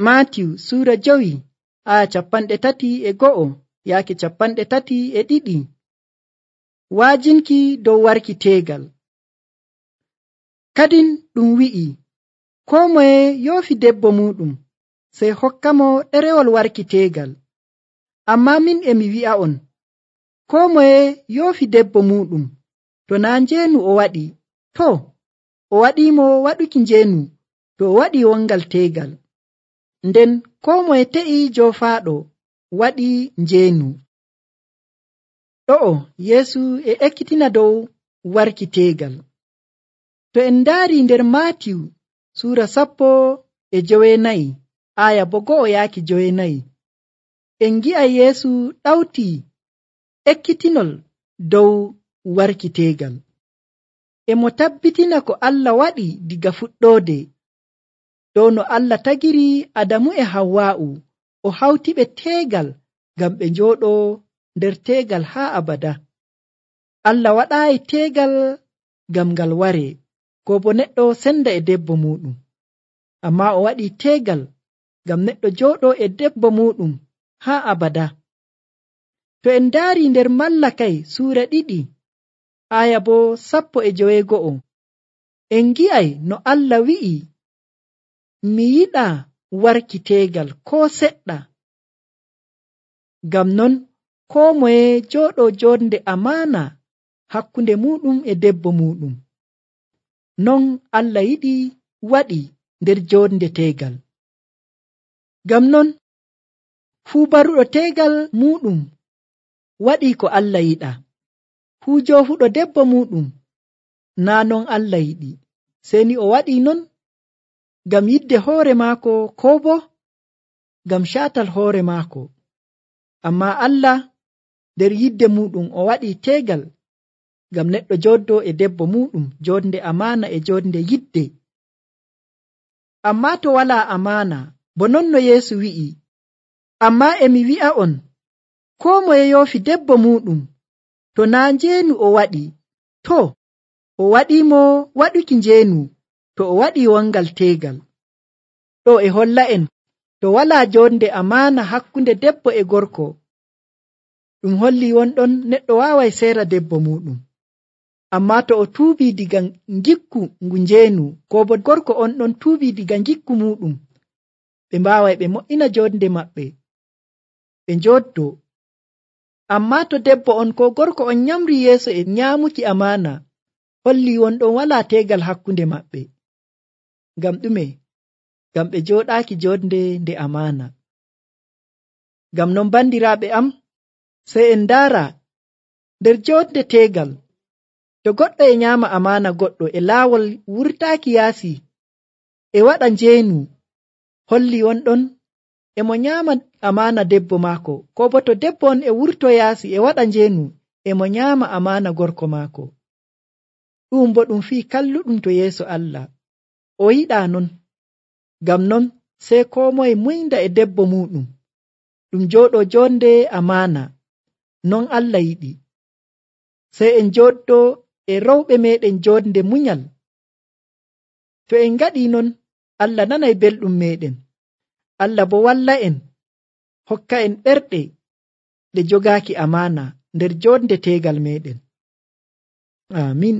Maatiyu suura 5 aya 31 yaake 32. Waajinki dow warki teegal. Kadin ɗum wi'i, koo moye yoofi debbo muɗum sey hokkamo ɗerewol warki teegal. Ammaa min e mi wi'a'on, koo moye yoofi debbo muɗum to naa njeenu o waɗi, to o waɗiimo waɗuki njeenu to o waɗi wongal teegal. Nden koo moye te'i joofaaɗo waɗi njeenu. Ɗo'o Yeesu e ekkitina dow warki teegal. To en ndaari nder Maatiyu suura 14 aya 1 yaaki 9, en ngi'a Yeesu ɗawtii ekkitinol dow warki teegal. E mo tabbitina ko Allah waɗi diga fuɗɗoode, dow no Allah tagiri Adamu e Hawwa'u o hawtiɓe teegal ngam ɓe njooɗoo nder teegal haa abada. Allah waɗaayi teegal ngam ngal waree, ko bo neɗɗo senda e debbo muɗum, ammaa o waɗi teegal ngam neɗɗo jooɗoo e debbo muɗum haa abada. To en ndaari nder Mallakay suura 2 aya bo 15, en ngi'ay no Allah wi'i, mi yiɗaa warki teegal koo seɗɗa. Ngam non koo moye jooɗoo joonde amaana hakkunde muɗum e debbo muɗum. Non Allah yiɗi waɗi nder joonde teegal. Ngam non fuu baruɗo teegal muɗum waɗi ko Allah yiɗa. Fuu joofuɗo debbo muɗum naa non Allah yiɗi, sey ni o waɗi non ngam yidde hoore maako koo bo ngam caatal hoore maako. Ammaa Allah nder yidde muɗum o waɗi teegal ngam neɗɗo jooddoo e debbo muɗum joonde amaana e joonde yidde. Ammaa to walaa amaana, bo non no Yeesu wi'i, ammaa e mi wi'a'on, koo moye yoofi debbo muɗum to naa njeenu o waɗi, to o waɗiimo waɗuki njeenu to o waɗi wongal teegal. Ɗo e holla'en to walaa joonde amaana hakkunde debbo e gorko, ɗum holli wonɗon neɗɗo waaway seera debbo muɗum. Ammaa to o tuubii diga ngikku ngu njeenu, ko bo gorko on ɗon tuubii diga ngikku muɗum, ɓe mbaaway ɓe mo'ina joonde maɓɓe, ɓe njooddoo. Ammaa to debbo on ko gorko on nyamri yeeso e nyaamuki amaana, holli wonɗon walaa teegal hakkunde maɓɓe. Ngam ɗume? Ngam ɓe jooɗaaki joonde nde amaana. Ngam non bandiraaɓe am, sey en ndaara nder joonde teegal, to goɗɗo e nyaama amaana goɗɗo e laawol wurtaaki yaasi e waɗa njeenu, holli wonɗon e mo nyaama amaana debbo maako, ko bo to debbo on e wurto yaasi e waɗa njeenu e mo nyaama amaana gorko maako. Ɗum bo ɗum fii kalluɗum to yeeso Allah. O yiɗaa non. Ngam non sey koo moye muynda e debbo muɗum, ɗum jooɗoo joonde amaana, non Allah yiɗi. Sey en jooɗdoo e rewɓe meeɗen joonde munyal. To en ngaɗii non, Allah nanay belɗum meeɗen. Allah bo walla en, hokka en ɓerɗe ɗe jogaaki amaana nder joonde teegal meeɗen. Aamin.